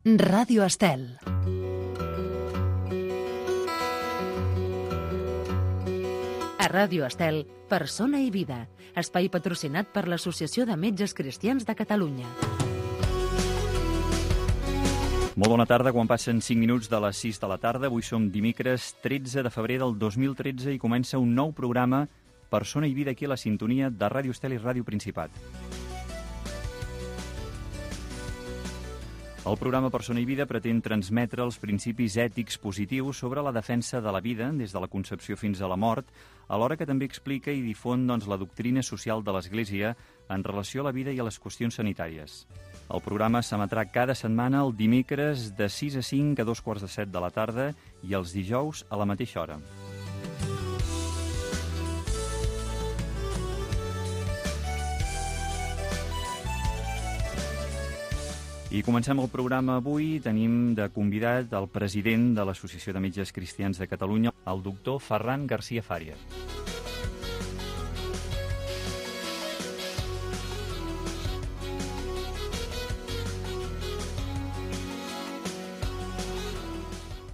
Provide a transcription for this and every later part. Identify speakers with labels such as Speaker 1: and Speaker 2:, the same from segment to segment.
Speaker 1: Ràdio Estel. A Ràdio Estel, Persona i Vida, espai patrocinat per l'Associació de Metges Cristians de Catalunya.
Speaker 2: Molt bona tarda, quan passen 5 minuts de les 6 de la tarda. Avui som dimecres 13 de febrer del 2013 i comença un nou programa Persona i Vida aquí a la sintonia de Ràdio Estel i Ràdio Principat. El programa Persona i Vida pretén transmetre els principis ètics positius sobre la defensa de la vida des de la concepció fins a la mort, alhora que també explica i difon la doctrina social de l'Església en relació a la vida i a les qüestions sanitàries. El programa s'emetrà cada setmana el dimecres de 6 a 5 a 2:45 de la tarda i els dijous a la mateixa hora. I comencem el programa avui. Tenim de convidat el president de l'Associació de Metges Cristians de Catalunya, el doctor Ferran García Fàries.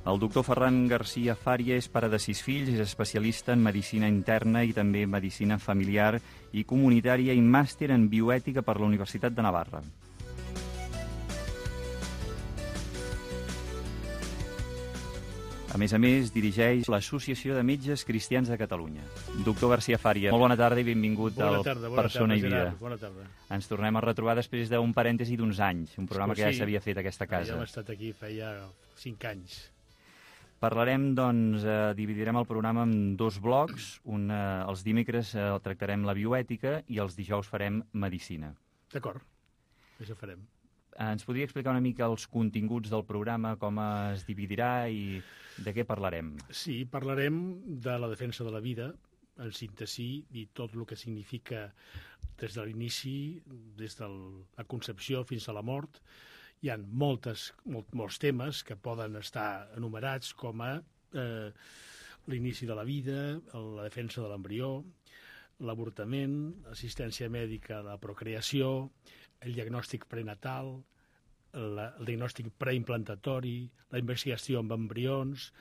Speaker 2: El doctor Ferran García Fàries és pare de 6 fills, és especialista en medicina interna i també medicina familiar i comunitària i màster en bioètica per la Universitat de Navarra. A més, dirigeix l'Associació de Metges Cristians de Catalunya. Doctor García Fàries, molt bona tarda i benvingut al Persona i Vida.
Speaker 3: Bona tarda.
Speaker 2: Ens tornem a retrobar després d'un parèntesi d'uns anys, un programa que ja s'havia fet a aquesta casa.
Speaker 3: Ja hem estat aquí feia 5 anys.
Speaker 2: Parlarem, dividirem el programa en 2 blocs. Els dimecres tractarem la bioètica i els dijous farem medicina.
Speaker 3: D'acord, això farem.
Speaker 2: Ens podria explicar una mica els continguts del programa, com es dividirà i de què parlarem?
Speaker 3: Sí, parlarem de la defensa de la vida, en síntesi, i tot el que significa des de l'inici, des de la concepció fins a la mort. Hi ha molts temes que poden estar enumerats com a l'inici de la vida, la defensa de l'embrió, l'avortament, l'assistència mèdica a la procreació, el diagnòstic prenatal, el diagnòstic preimplantatori, la investigació amb embrions,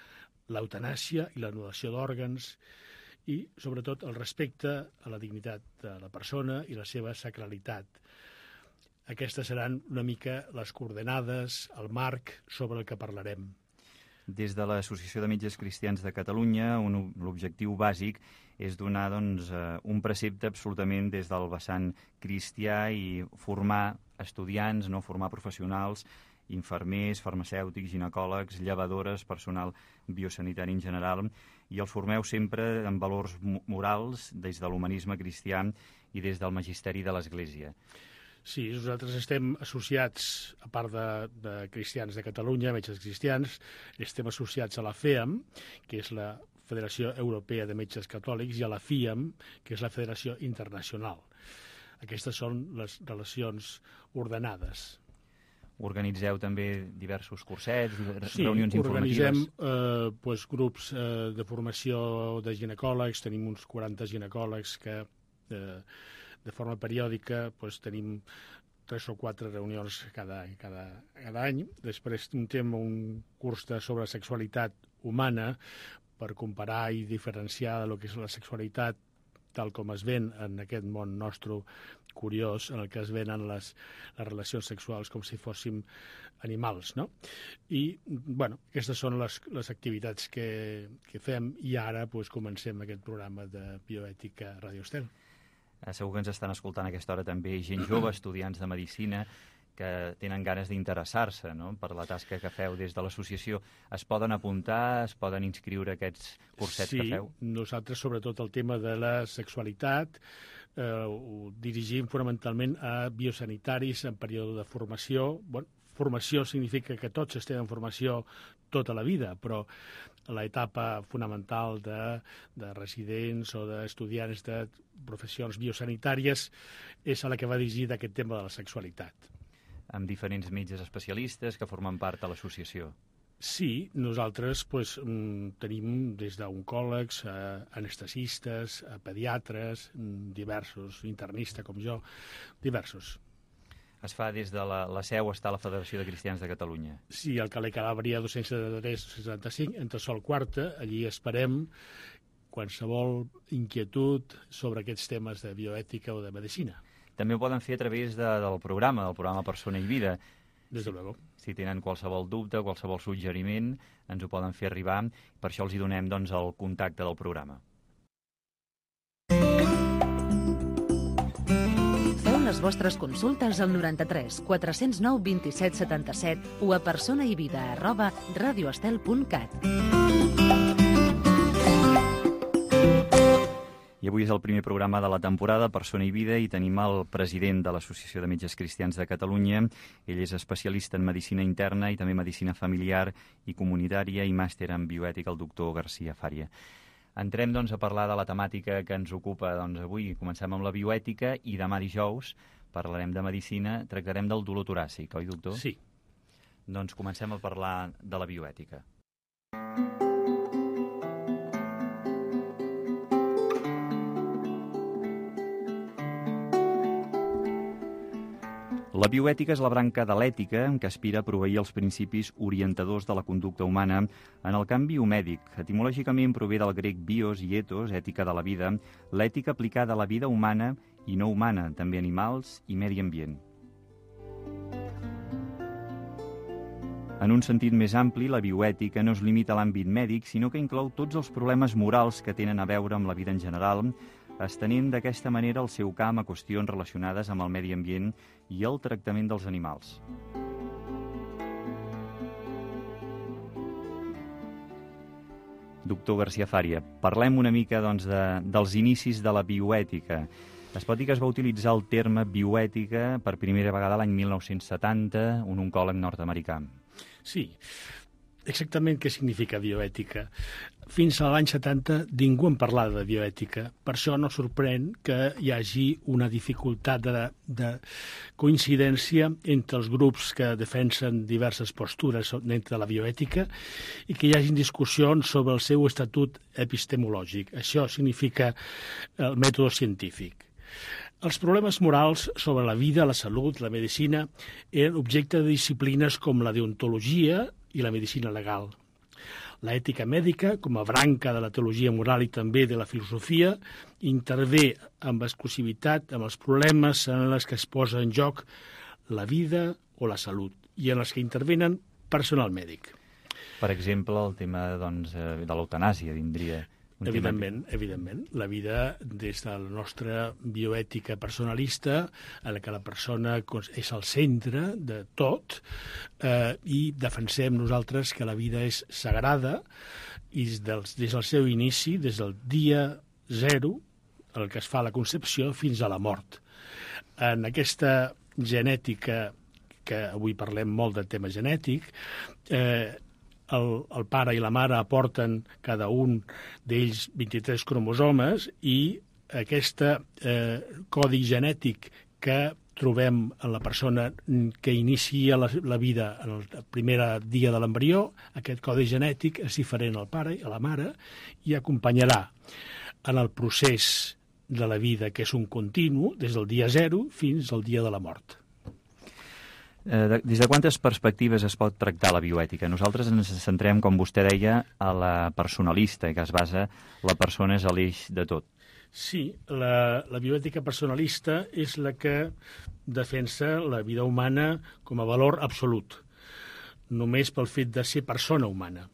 Speaker 3: l'eutanàsia i l'anul·lació d'òrgans i, sobretot, el respecte a la dignitat de la persona i la seva sacralitat. Aquestes seran una mica les coordenades, el marc sobre el que parlarem.
Speaker 2: Des de l'Associació de Metges Cristians de Catalunya, l'objectiu bàsic és donar un precepte absolutament des del vessant cristià i formar estudiants, formar professionals, infermers, farmacèutics, ginecòlegs, llevadores, personal biosanitari en general, i els formeu sempre en valors morals des de l'humanisme cristià i des del magisteri de l'Església.
Speaker 3: Sí, nosaltres estem associats, a part de Cristians de Catalunya, Metges Cristians, estem associats a la FEAM, que és la Federació Europea de Metges Catòlics, i a la FIAM, que és la Federació Internacional. Aquestes són les relacions ordenades.
Speaker 2: Organitzeu també diversos cursets,
Speaker 3: Sí,
Speaker 2: reunions informatives?
Speaker 3: organitzem grups de formació de ginecòlegs, tenim uns 40 ginecòlegs que de forma periòdica tenim 3 o 4 reunions cada any. Després tenim un curs sobre sexualitat humana per comparar i diferenciar el que és la sexualitat tal com es ven en aquest món nostre curiós, en el que es venen les relacions sexuals com si fóssim animals, no? I, aquestes són les activitats que fem i ara comencem aquest programa de bioètica a Ràdio Estel.
Speaker 2: Segur que ens estan escoltant a aquesta hora també gent jove, estudiants de medicina, que tenen ganes d'interessar-se per la tasca que feu des de l'associació. Es poden apuntar, es poden inscriure a aquests cursets que feu?
Speaker 3: Sí, nosaltres sobretot el tema de la sexualitat ho dirigim fonamentalment a biosanitaris en període de formació. Formació significa que tots estem en formació tota la vida, però l'etapa fonamental de residents o d'estudiants de professions biosanitàries és a la que va dirigir aquest tema de la sexualitat.
Speaker 2: Amb diferents metges especialistes que formen part de l'associació.
Speaker 3: Sí, nosaltres tenim des d'oncòlegs, anestesistes, pediatres, diversos, internistes com jo, diversos.
Speaker 2: Es fa des de la seu, està a la Federació de Cristians de Catalunya.
Speaker 3: Sí, al carrer Calàbria 273-65, entre Sol Quarta, allí esperem qualsevol inquietud sobre aquests temes de bioètica o de medicina.
Speaker 2: També ho poden fer a través del programa Persona i Vida.
Speaker 3: Des de luego.
Speaker 2: Si tenen qualsevol dubte, qualsevol suggeriment, ens ho poden fer arribar. Per això els hi donem el contacte del programa.
Speaker 1: Feu les vostres consultes al 93 409 27 77 o a personaivida@radioestel.cat.
Speaker 2: I avui és el primer programa de la temporada Persona i Vida i tenim el president de l'Associació de Metges Cristians de Catalunya. Ell és especialista en medicina interna i també medicina familiar i comunitària i màster en bioètica, el doctor García Fària. Entrem, a parlar de la temàtica que ens ocupa avui. Comencem amb la bioètica i demà dijous parlarem de medicina, tractarem del dolor toràcic, oi, doctor?
Speaker 3: Sí.
Speaker 2: Doncs comencem a parlar de la bioètica. La bioètica és la branca de l'ètica que aspira a proveir els principis orientadors de la conducta humana en el camp biomèdic. Etimològicament prové del grec bios i ethos, ètica de la vida, l'ètica aplicada a la vida humana i no humana, també animals i medi ambient. En un sentit més ampli, la bioètica no es limita a l'àmbit mèdic, sinó que inclou tots els problemes morals que tenen a veure amb la vida en general, estenent d'aquesta manera el seu camp a qüestions relacionades amb el medi ambient i el tractament dels animals. Doctor García Fària, parlem una mica dels inicis de la bioètica. Es pot dir que es va utilitzar el terme bioètica per primera vegada l'any 1970, un oncòleg nord-americà.
Speaker 3: Sí. Exactament què significa bioètica. Fins a l'any 70 ningú en parlava de bioètica. Per això no sorprèn que hi hagi una dificultat de coincidència entre els grups que defensen diverses postures dintre de la bioètica i que hi hagi discussions sobre el seu estatut epistemològic. Això significa el mètode científic. Els problemes morals sobre la vida, la salut, la medicina eren objecte de disciplines com la deontologia i la medicina legal. L'ètica mèdica, com a branca de la teologia moral i també de la filosofia, intervé amb exclusivitat amb els problemes en els que es posa en joc la vida o la salut i en els que intervenen personal mèdic.
Speaker 2: Per exemple, el tema de l'eutanàsia vindria...
Speaker 3: Evidentment. La vida, des de la nostra bioètica personalista, en què la persona és al centre de tot, i defensem nosaltres que la vida és sagrada, i des del seu inici, des del dia zero, el que es fa a la concepció, fins a la mort. En aquesta genètica, que avui parlem molt del tema genètic, el pare i la mare aporten cada un d'ells 23 cromosomes i aquest codi genètic que trobem en la persona que inicia la vida en el primer dia de l'embrió, aquest codi genètic és diferent al pare i a la mare i acompanyarà en el procés de la vida, que és un continu, des del dia zero fins al dia de la mort.
Speaker 2: Des de quantes perspectives es pot tractar la bioètica? Nosaltres ens centrem, com vostè deia, a la personalista, que es basa la persona és a l'eix de tot.
Speaker 3: Sí, la bioètica personalista és la que defensa la vida humana com a valor absolut, només pel fet de ser persona humana.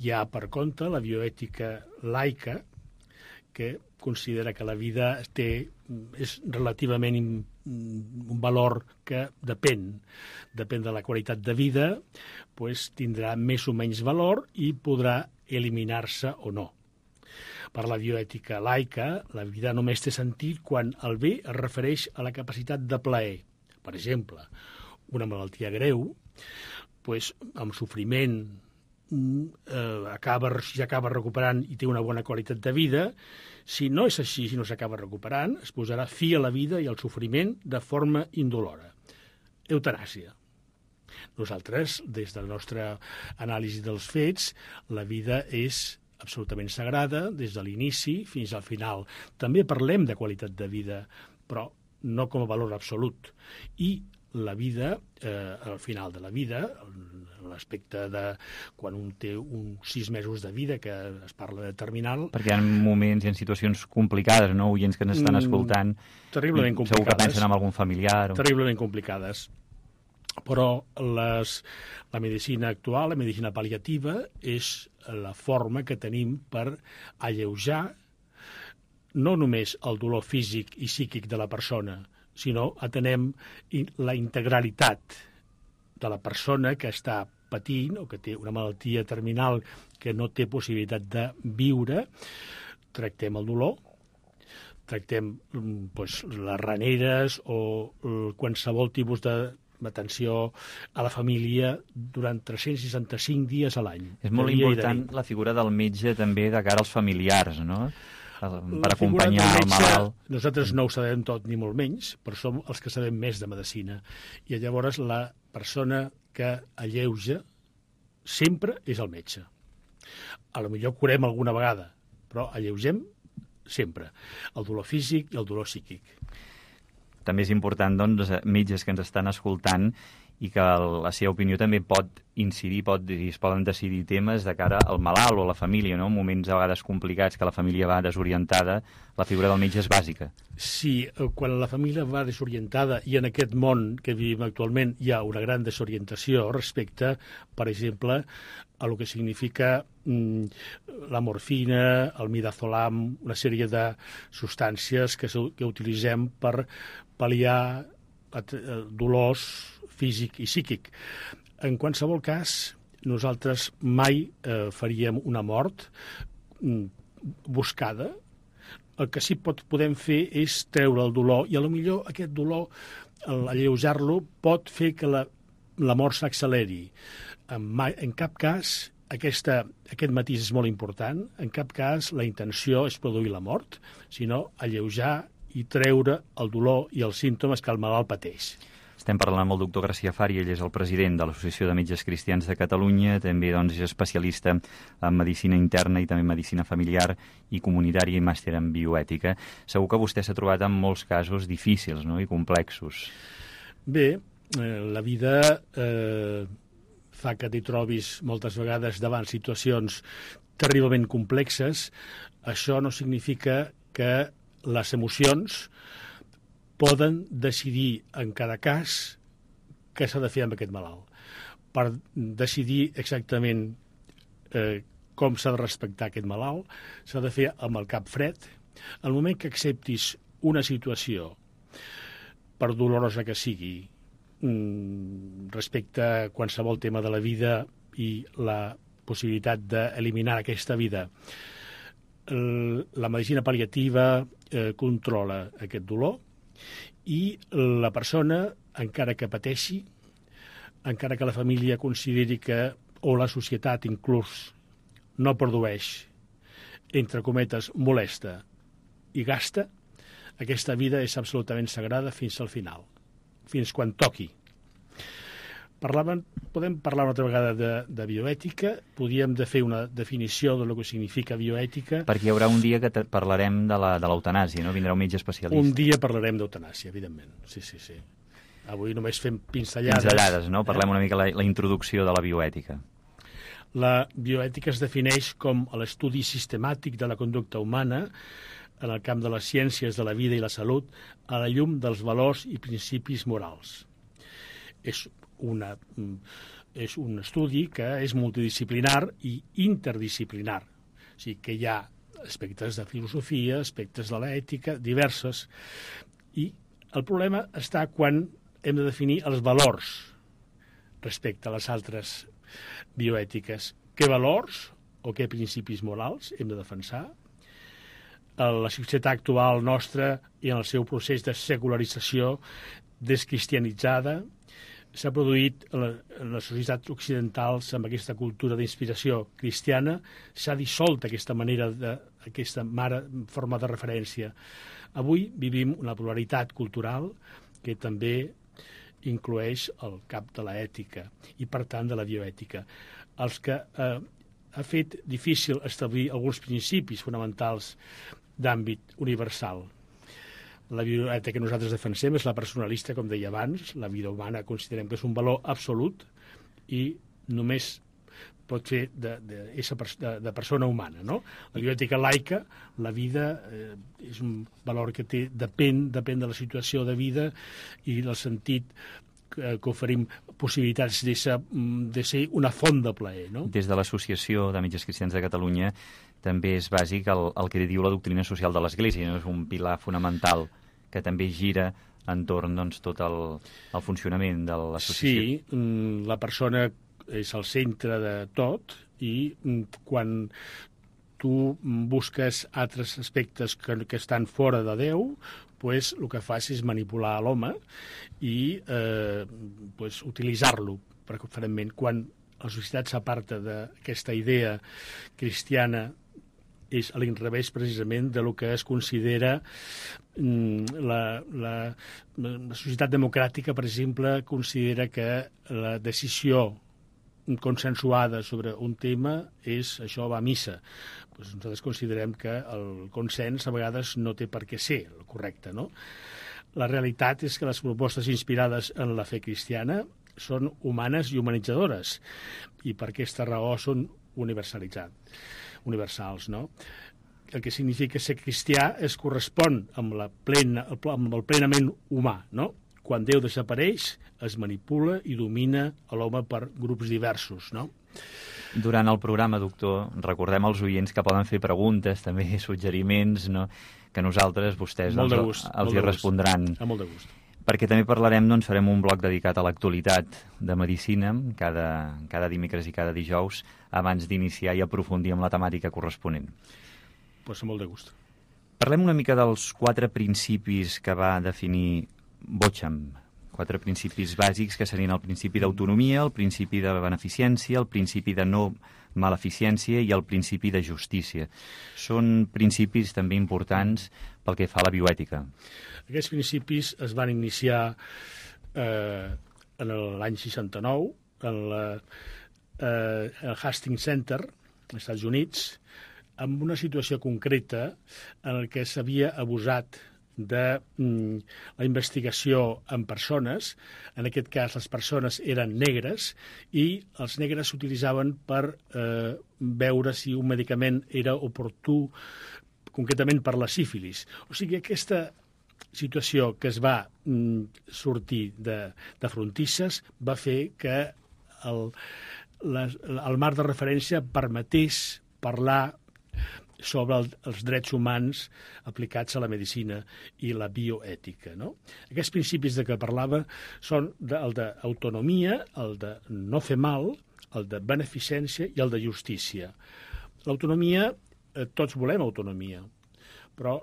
Speaker 3: Hi ha, per contra, la bioètica laica, que considera que la vida és relativament un valor que depèn de la qualitat de vida, tindrà més o menys valor i podrà eliminar-se o no. Per la bioètica laica, la vida només té sentit quan el bé es refereix a la capacitat de plaer. Per exemple, una malaltia greu, amb sofriment, s'acaba recuperant i té una bona qualitat de vida. Si no és així, si no s'acaba recuperant, es posarà fi a la vida i al sofriment de forma indolora. Eutanàsia. Nosaltres, des de la nostra anàlisi dels fets, la vida és absolutament sagrada, des de l'inici fins al final. També parlem de qualitat de vida, però no com a valor absolut. I la vida, al final de la vida, l'aspecte de quan un té uns 6 mesos de vida, que es parla de terminal...
Speaker 2: Perquè hi ha moments, hi ha situacions complicades, no? Oients que ens estan escoltant...
Speaker 3: Terriblement complicades.
Speaker 2: Segur que pensen en algun familiar.
Speaker 3: Terriblement complicades. Però la medicina actual, la medicina pal·liativa, és la forma que tenim per alleujar no només el dolor físic i psíquic de la persona, sinó atenem la integralitat de la persona que està patint o que té una malaltia terminal que no té possibilitat de viure. Tractem el dolor, tractem les raneres o qualsevol tipus d'atenció a la família durant 365 dies a l'any.
Speaker 2: És molt important la figura del metge també de cara als familiars, no? Per acompanyar el malalt.
Speaker 3: Nosaltres no ho sabem tot ni molt menys, però som els que sabem més de medicina. I llavors la persona que alleuja sempre és el metge. A lo millor curem alguna vegada, però alleugem sempre el dolor físic i el dolor psíquic.
Speaker 2: També és important, doncs, metges que ens estan escoltant i que la seva opinió també pot incidir, es poden decidir temes de cara al malalt o a la família, no? En moments a vegades complicats que la família va desorientada, la figura del metge és bàsica.
Speaker 3: Sí, quan la família va desorientada, i en aquest món que vivim actualment hi ha una gran desorientació respecte, per exemple, a el que significa la morfina, el midazolam, una sèrie de substàncies que utilitzem per pal·liar dolors físic i psíquic. En qualsevol cas, nosaltres mai faríem una mort buscada. El que sí podem fer és treure el dolor, i potser aquest dolor, alleujar-lo, pot fer que la mort s'acceleri. En cap cas, aquest matís és molt important, en cap cas la intenció és produir la mort, sinó alleujar i treure el dolor i els símptomes que el malalt pateix.
Speaker 2: Estem parlant amb el doctor Gracià Fari, ell és el president de l'Associació de Metges Cristians de Catalunya, també és especialista en medicina interna i també medicina familiar i comunitària i màster en bioètica. Segur que vostè s'ha trobat amb molts casos difícils, no?, i complexos.
Speaker 3: Bé, la vida fa que t'hi trobis moltes vegades davant situacions terriblement complexes. Això no significa que les emocions poden decidir en cada cas què s'ha de fer amb aquest malalt. Per decidir exactament com s'ha de respectar aquest malalt, s'ha de fer amb el cap fred. Al moment que acceptis una situació, per dolorosa que sigui, respecte a qualsevol tema de la vida i la possibilitat d'eliminar aquesta vida, la medicina pal·liativa controla aquest dolor, i la persona, encara que pateixi, encara que la família consideri que, o la societat inclús, no produeix, entre cometes, molesta i gasta, aquesta vida és absolutament sagrada fins al final, fins quan toqui. Podem parlar una altra vegada de bioètica, podríem fer una definició de que significa bioètica.
Speaker 2: Perquè hi haurà un dia que parlarem de l'eutanàsia, no? Vindrà un metge especialista.
Speaker 3: Un dia parlarem d'eutanàsia, evidentment. Sí. Avui només fem pinzellades.
Speaker 2: Pinzellades, no? Parlem una mica la introducció de la bioètica.
Speaker 3: La bioètica es defineix com l'estudi sistemàtic de la conducta humana en el camp de les ciències de la vida i la salut a la llum dels valors i principis morals. És un estudi que és multidisciplinar i interdisciplinar. O sigui que hi ha aspectes de filosofia, aspectes de l'ètica, diverses. I el problema està quan hem de definir els valors respecte a les altres bioètiques. Què valors o què principis morals hem de defensar? La societat actual nostra i en el seu procés de secularització descristianitzada s'ha produït en les societats occidentals amb aquesta cultura d'inspiració cristiana, s'ha dissolt aquesta forma de referència. Avui vivim una pluralitat cultural que també inclueix el camp de l'ètica i, per tant, de la bioètica. Els que ha fet difícil establir alguns principis fonamentals d'àmbit universal. La bioètica que nosaltres defensem és la personalista, com deia abans. La vida humana considerem que és un valor absolut i només pot ser de persona humana, no? La bioètica laica, la vida, és un valor que depèn de la situació de vida i del sentit que oferim possibilitats de ser una font de plaer, no?
Speaker 2: Des de l'Associació de Metges Cristians de Catalunya també és bàsic el que diu la doctrina social de l'Església, no? És un pilar fonamental que també gira entorn tot el funcionament de l'associació.
Speaker 3: Sí, la persona és el centre de tot i quan tu busques altres aspectes que estan fora de Déu, pues, el que fas és manipular l'home i utilitzar-lo preferentment. Quan la societat s'aparta d'aquesta idea cristiana és a l'inrevés precisament de lo que es considera la societat democràtica, per exemple, considera que la decisió consensuada sobre un tema això va a missa. Pues nosaltres considerem que el consens a vegades no té per què ser el correcte, no? La realitat és que les propostes inspirades en la fe cristiana són humanes i humanitzadores i per aquesta raó són universals, no? El que significa ser cristià es correspon amb el plenament humà, no? Quan Déu desapareix, es manipula i domina l'home per grups diversos, no?
Speaker 2: Durant el programa, doctor, recordem als oients que poden fer preguntes, també suggeriments, no? Que nosaltres, vostès, els hi respondran.
Speaker 3: Amb molt de gust.
Speaker 2: Perquè també parlarem, farem un bloc dedicat a l'actualitat de medicina, cada dimecres i cada dijous, abans d'iniciar i aprofundir amb la temàtica corresponent.
Speaker 3: Pues amb molt de gust.
Speaker 2: Parlem una mica dels 4 principis que va definir Bocham, 4 principis bàsics que serien el principi d'autonomia, el principi de beneficència, el principi de no maleficència i el principi de justícia. Són principis també importants pel que fa a la bioètica.
Speaker 3: Aquests principis es van iniciar en l'any 69 al Hastings Center, als Estats Units, amb una situació concreta en què s'havia abusat de la investigació en persones. En aquest cas, les persones eren negres i els negres s'utilitzaven per veure si un medicament era oportú, concretament per la sífilis. O sigui, aquesta situació que es va sortir de frontisses va fer que el marc de referència permetés parlar sobre els drets humans aplicats a la medicina i la bioètica, no? Aquests principis de què parlava són el d'autonomia, el de no fer mal, el de beneficència i el de justícia. L'autonomia, tots volem autonomia, però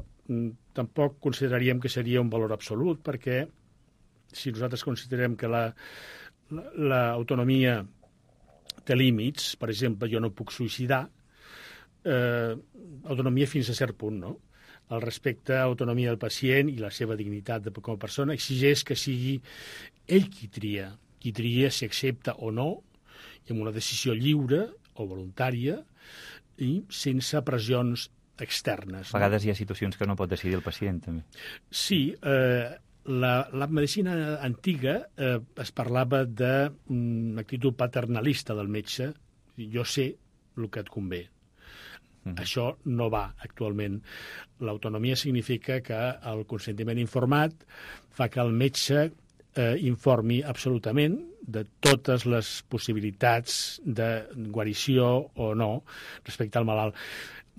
Speaker 3: tampoc consideraríem que seria un valor absolut, perquè si nosaltres considerem que l'autonomia té límits, per exemple, jo no puc suïcidar, autonomia fins a cert punt, no? El respecte a l'autonomia del pacient i la seva dignitat com a persona exigeix que sigui ell qui tria si accepta o no, i amb una decisió lliure o voluntària i sense pressions externes.
Speaker 2: A vegades hi ha situacions que no pot decidir el pacient, també.
Speaker 3: Sí, la medicina antiga es parlava d'una actitud paternalista del metge, jo sé el que et convé. Això no va actualment. L'autonomia significa que el consentiment informat fa que el metge informi absolutament de totes les possibilitats de guarició o no respecte al malalt.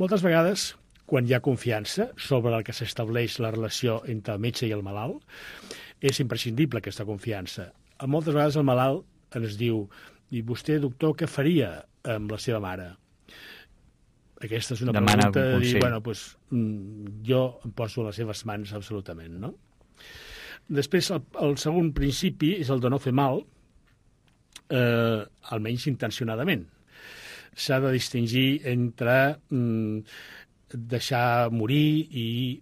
Speaker 3: Moltes vegades, quan hi ha confiança sobre el que s'estableix la relació entre el metge i el malalt, és imprescindible aquesta confiança. Moltes vegades el malalt ens diu: i vostè, doctor, què faria amb la seva mare? Aquesta és una pregunta de dir, jo em poso a les seves mans absolutament, no? Després, el segon principi és el de no fer mal, almenys intencionadament. S'ha de distingir entre deixar morir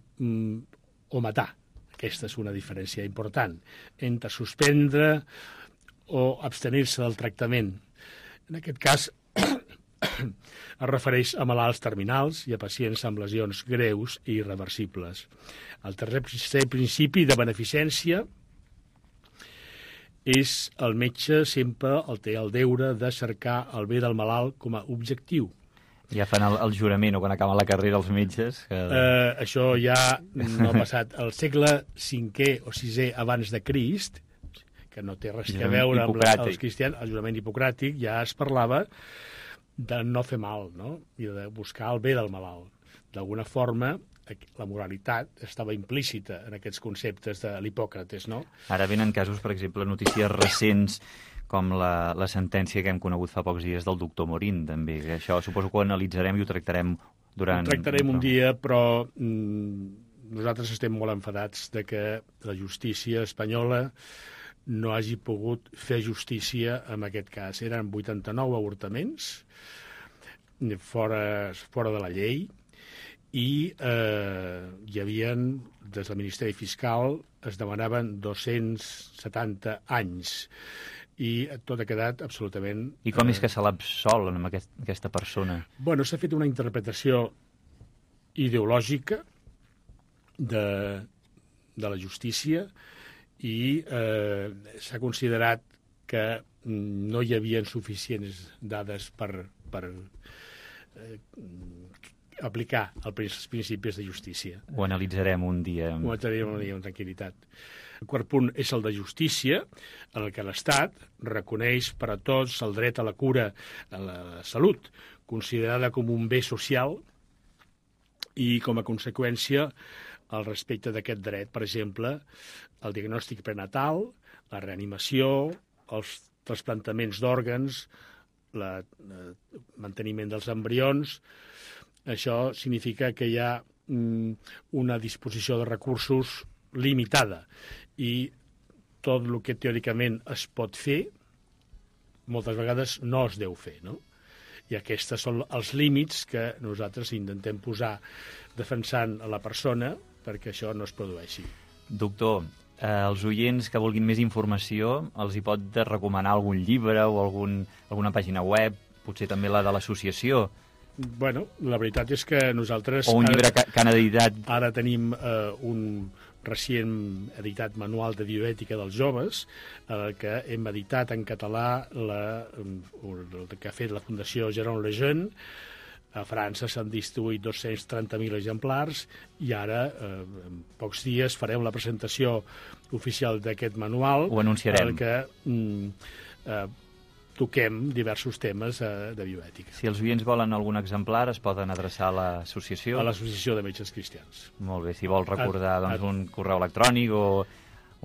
Speaker 3: o matar. Aquesta és una diferència important. Entre suspendre o abstenir-se del tractament. En aquest cas, es refereix a malalts terminals i a pacients amb lesions greus i irreversibles. El tercer principi de beneficència és el metge sempre té el deure de cercar el bé del malalt com a objectiu.
Speaker 2: Ja fan el jurament, o quan acaben la carrera els metges.
Speaker 3: Això ja no ha passat. Al segle V o VI abans de Crist, que no té res a veure amb els cristians, el jurament hipocràtic, ja es parlava de no fer mal, no? I de buscar el bé del malalt. D'alguna forma, la moralitat estava implícita en aquests conceptes de l'Hipòcrates, no?
Speaker 2: Ara venen casos, per exemple, notícies recents, com la sentència que hem conegut fa pocs dies del doctor Morín, també. Això suposo que ho analitzarem i ho tractarem durant...
Speaker 3: Ho tractarem un dia, però nosaltres estem molt enfadats de que la justícia espanyola no hagi pogut fer justícia en aquest cas. Eren 89 avortaments fora de la llei i hi havia, des del Ministeri Fiscal, es demanaven 270 anys i tot ha quedat absolutament...
Speaker 2: I com és que se l'absol amb aquesta persona?
Speaker 3: Bueno, s'ha fet una interpretació ideològica de la justícia i s'ha considerat que no hi havia suficients dades per aplicar els principis de justícia.
Speaker 2: Ho analitzarem un dia.
Speaker 3: Ho analitzarem un dia amb tranquil·litat. El quart punt és el de justícia, en el que l'Estat reconeix per a tots el dret a la cura, a la salut, considerada com un bé social i, com a conseqüència, al respecte d'aquest dret, per exemple, el diagnòstic prenatal, la reanimació, els trasplantaments d'òrgans, el manteniment dels embrions. Això significa que hi ha una disposició de recursos limitada i tot el que teòricament es pot fer moltes vegades no es deu fer, no? I aquests són els límits que nosaltres intentem posar defensant a la persona perquè això no es produeixi.
Speaker 2: Doctor, els oients que vulguin més informació els hi pot recomanar algun llibre o alguna pàgina web, potser també la de l'associació?
Speaker 3: Bueno, la veritat és que nosaltres...
Speaker 2: O un llibre que han editat...
Speaker 3: Ara tenim un recient editat manual de bioètica dels joves, que hem editat en català el que ha fet la Fundació Jérôme Lejeune. A França s'han distribuït 230.000 exemplars i ara, en pocs dies, farem la presentació oficial d'aquest manual.
Speaker 2: Ho anunciarem.
Speaker 3: En què toquem diversos temes de bioètica.
Speaker 2: Si els oients volen algun exemplar, es poden adreçar a l'associació?
Speaker 3: A l'Associació de Metges Cristians.
Speaker 2: Molt bé, si vol recordar un correu electrònic o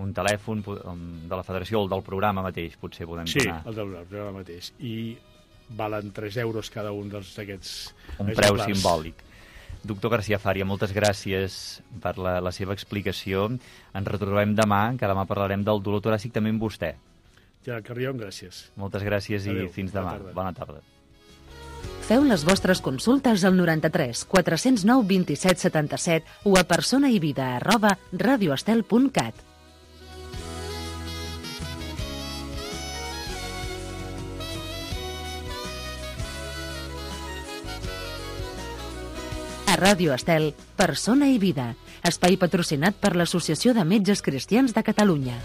Speaker 2: un telèfon de la federació o el del programa mateix, potser podem donar.
Speaker 3: Sí, el del programa mateix. I valen 3 euros cada un d'aquests
Speaker 2: un preu simbòlic. Doctor García Faria, moltes gràcies per la seva explicació. Ens retrobem demà, que demà parlarem del dolor toràcic també amb vostè.
Speaker 3: Gerard Carrion, gràcies.
Speaker 2: Moltes gràcies.
Speaker 3: Adéu.
Speaker 2: I fins demà. Bona tarda.
Speaker 1: Feu les vostres consultes al 93 409 27 77 o a personaivida@radioestel.cat. A Ràdio Estel, Persona i Vida, espai patrocinat per l'Associació de Metges Cristians de Catalunya.